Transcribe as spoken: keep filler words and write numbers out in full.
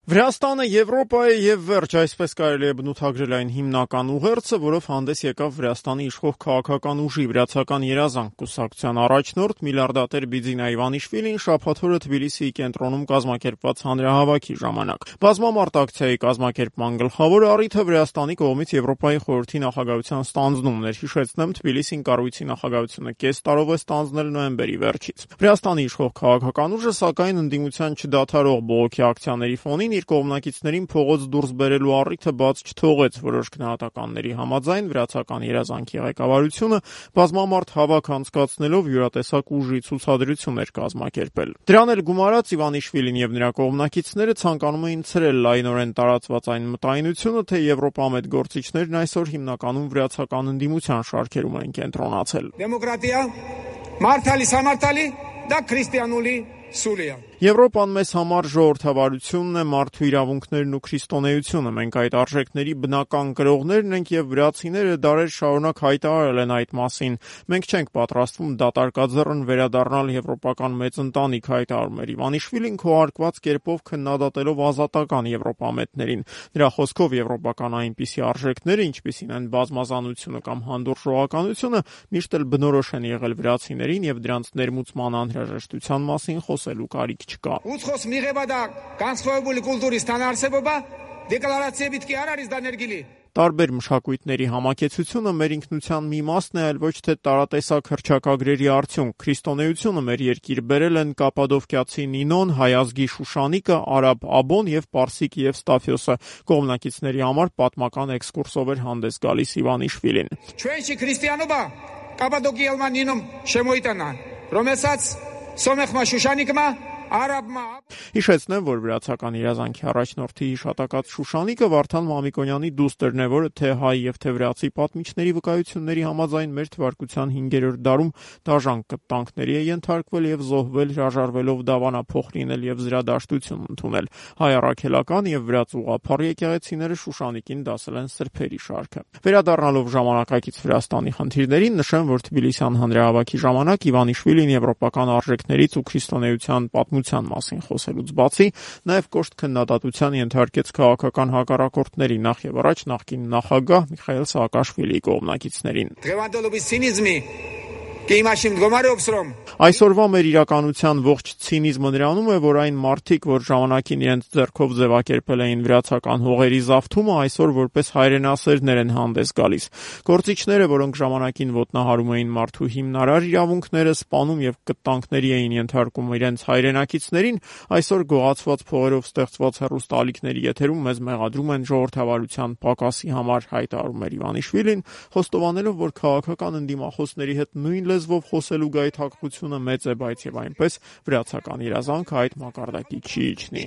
Վրաստանը Եվրոպայի եւ վերջ, այսպես կարելի է բնութագրել այն հիմնական ուղերձը, որով հանդես եկավ Վրաստանի իշխող քաղաքական ուժի վրացական երազանք կուսակցության առաջնորդ միլիարդատեր Բիձինա Իվանիշվիլին շաբաթ օրը Թբիլիսիի կենտրոնում կազմակերպված հանրահավաքի ժամանակ։ Բազմամարդ ակցիայի կազմակերպման գլխավոր առիթը Վրաստանի կողմից Եվրոպայի խորհրդի նախագահության ստանձնումն էր։ Հիշեցնեմ, Թբիլիսին կառույցի նախագահությունը կես տարով է ստանձնել նոյեմբերի վերջից։ Վրաստանի իշխող քաղաքական ուժը, սակայն, ընդդիմության չդադարող բողոքի ակցիաների ֆոնին իր կողմնակիցներին փողոց դուրս բերելու առիթը բաց չթողեց։ Որոշ գնահատականների համաձայն վրացական երազանքի ղեկավարությունը բազմամարդ հավաք անցկացնելով յուրատեսակ ուժի ցուցադրություն էր կազմակերպել։ Դրան էլ գումարած Իվանիշվիլին եւ նրա կողմնակիցները ցանկանում էին ցրել լայնորեն տարածված այն մտայնությունը, թե եվրոպամետ գործիչներն այսօր հիմնականում վրացական ընդդիմության շարքերում են կենտրոնացել։ Դեմոկրատիա, մարտալի, համարտալի, դա քրիստիանուլի Սուրիա։ Եվրոպան մեզ համար ժողովրդավարությունն է, մարդու իրավունքներն ու քրիստոնեությունը։ Մենք այդ արժեքների բնական կրողներն ենք եւ վրացիները դարեր շարունակ հայտարարել են այդ մասին։ Մենք չենք պատրաստվում դատարկաձեռն վերադառնալ եվրոպական մեծ ընտանիք, հայտարարում էր Իվանիշվիլին քողարկված կերպով քննադատելով ազատական եվրոպամետներին։ Նրա խոսքով եվրոպական այնպիսի արժեքները, ինչպիսին են բազմազանությունը կամ հանդուրժողականությունը, միշտ էլ բնորոշ են եղել վրացիներին եւ դրանց ներմուծման անհրաժեշտության մասին խոսելու կարիք չկա։ Ուցխոս միղեբադա կանցվոյբուլի կուլտուրի ստանարսեբոբա դեկլարացիա բիտքի արարիս դա ներգիլի։ Տարբեր մշակույթների համակեցությունը մեր ինքնության մի մասն է, այլ ոչ թե տարատեսակ հռչակագրերի արդյունք։ Քրիստոնեությունը մեր երկիր բերել են կապադովկիացի Նինոն, հայազգի Շուշանիկը, արաբ Աբոն եւ պարսիկ Եվստաֆիոսը։ Կողմնակիցների համար պատմական էքսկուրսով էր հանդես գալիս Իվանիշվիլին։ Չուենչի քրիստիանոբա կապադոկիալման Նինում շեմոյտանա։ Ռոմեսաց Սոմեխմա Շուշանիկմա Արաբմա։ Հիշեցնեմ, որ վրացական երազանքի առաջնորդի հիշատակած Շուշանիկը Վարդան Մամիկոնյանի դուստերն է, որը թե հայ եւ թե վրացի պատմիչների վկայությունների համաձայն մեր թվարկության հինգերորդ դարում դաժան կտանքների է ենթարկվել եւ զոհվել, հրաժարվելով դավանափոխ լինել եւ զրադաշտություն ընդունել։ Հայ առաքելական եւ վրաց ուղղափառ եկեղեցիները Շուշանիկին դասել են սրբերի շարքը։ Վերադառնալով ժամանակակից Վրաստանի խնդիրներին, նշեմ, որ Թբիլիսյան հանրահավաքի ժամանակ Իվանիշվիլին եվրոպական արժեքներից ու քրիստոնեության պատմության մասին խոսելուց բացի, նաև կոշտ քննադատության ենթարկեց քաղաքական հակառակորդների, նախ եւ առաջ նախկին նախագահ Միխայիլ Սաակաշվիլիի կողմնակիցներին։ Այսօրվա մեր իրականության ողջ ցինիզմը նրանում է, որ այն մարդիկ, որ ժամանակին իրենց ձեռքով ձևակերպել էին վրացական հողերի զավթումը, այսօր որպես հայրենասերներ են հանդես գալիս։ Գործիչները, որոնք ժամանակին ոտնահարում էին մարդու հիմնարար իրավունքները, սպանում եւ կտանքների էին ենթարկում իրենց հայրենակիցներին, այսօր գողացված փողերով ստեղծված հեռուստաալիքների եթերում մեզ մեղադրում են ժողովրդավարության պակասի համար, հայտարարում էր Իվանիշվիլին, խոստովանելով, որ քաղաքական ընդդիմախոսների հետ նույն լեզվով խոսելու գայթակղությունը մեծ է, բայց եւ այնպես վրացական երազանքը այդ մակարդակի չի իջնի։